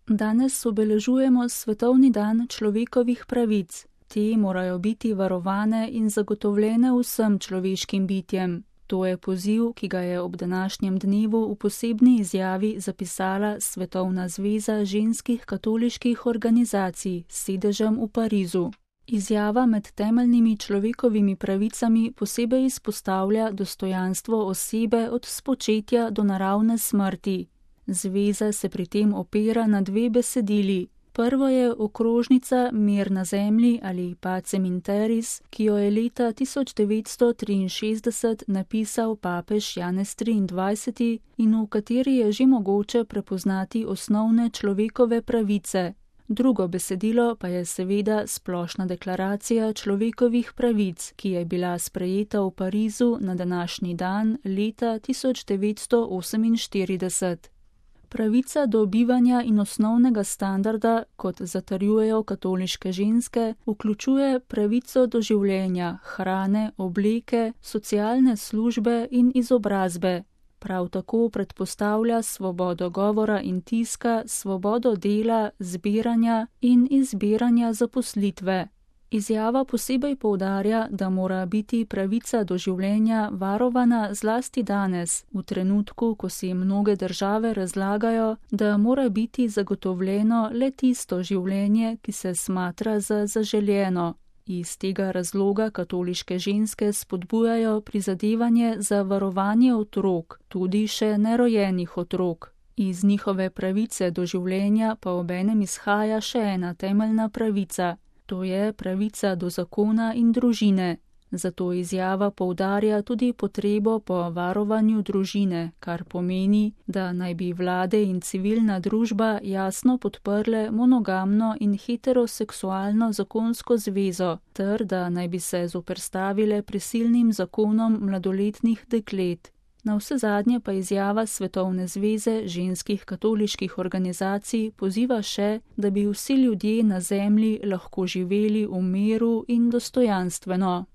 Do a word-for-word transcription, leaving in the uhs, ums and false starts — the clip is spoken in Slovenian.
Danes obeležujemo Svetovni dan človekovih pravic. Te morajo biti varovane in zagotovljene vsem človeškim bitjem. To je poziv, ki ga je ob današnjem dnevu v posebni izjavi zapisala Svetovna zveza ženskih katoliških organizacij s sedežem v Parizu. Izjava med temeljnimi človekovimi pravicami posebej izpostavlja dostojanstvo osebe od spočetja do naravne smrti. Zveza se pri tem opira na dve besedili. Prvo je okrožnica Mir na zemlji ali Pacem in Terris, ki jo je leta tisoč devetsto triinšestdeset napisal papež Janez triindvajseti in v kateri je že mogoče prepoznati osnovne človekove pravice. Drugo besedilo pa je seveda splošna deklaracija človekovih pravic, ki je bila sprejeta v Parizu na današnji dan leta tisoč devetsto oseminštirideset. Pravica do bivanja in osnovnega standarda, kot zatrjujejo katoliške ženske, vključuje pravico do življenja, hrane, obleke, socialne službe in izobrazbe. Prav tako predpostavlja svobodo govora in tiska, svobodo dela, zbiranja in izbiranja zaposlitve. Izjava posebej poudarja, da mora biti pravica do življenja varovana zlasti danes, v trenutku, ko si mnoge države razlagajo, da mora biti zagotovljeno le tisto življenje, ki se smatra za zaželjeno. Iz tega razloga katoliške ženske spodbujajo prizadevanje za varovanje otrok, tudi še nerojenih otrok. Iz njihove pravice do življenja pa obenem izhaja še ena temeljna pravica. To je pravica do zakona in družine. Zato izjava poudarja tudi potrebo po varovanju družine, kar pomeni, da naj bi vlade in civilna družba jasno podprle monogamno in heteroseksualno zakonsko zvezo, ter da naj bi se zoperstavile prisilnim zakonom mladoletnih deklet. Navsezadnje pa izjava Svetovne zveze ženskih katoliških organizacij poziva še, da bi vsi ljudje na zemlji lahko živeli v miru in dostojanstveno.